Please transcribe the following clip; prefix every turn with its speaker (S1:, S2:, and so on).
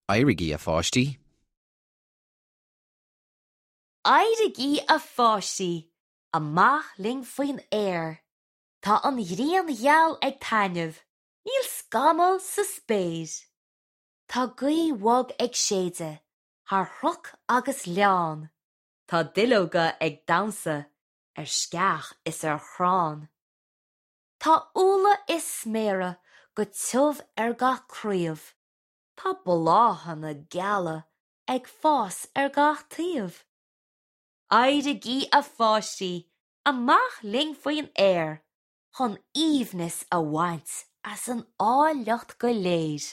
S1: Éirígí, a pháistí!
S2: Éirígí, a pháistí, amach linn faoin aer. Tá an ghrian gheal ag taitneamh, níl scamall sa spéir. Tá gaoth bhog ag séideadh thar chnoc agus ghleann, tá duilleoga ag damhsa ar sceach is ar chrann. Tá úlla is sméara go tiubh ar gach craobh, tá bláthanna geala ag fás ar gach taobh. Éirígí a pháistí, amach linn faoin aer, chun aoibhneas a bhaint as an áilleacht go léir.